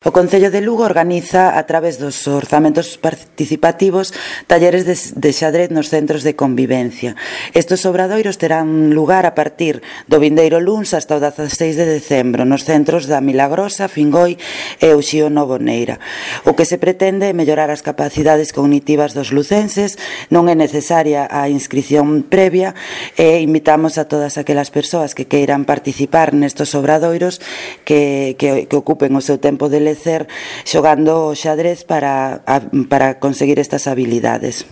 O Concello de Lugo organiza, a través dos orzamentos participativos, talleres de xadrez nos centros de convivencia. Estes obradoiros terán lugar a partir do vindeiro luns hasta o 16 de decembro nos centros da Milagrosa, Fingoi e Uxío Novo Neira. O que se pretende é mellorar as capacidades cognitivas dos lucenses, non é necesaria a inscrición previa e invitamos a todas aquelas persoas que queiran participar nestes obradoiros que ocupen o seu tempo de lecer xogando o xadrez para conseguir estas habilidades.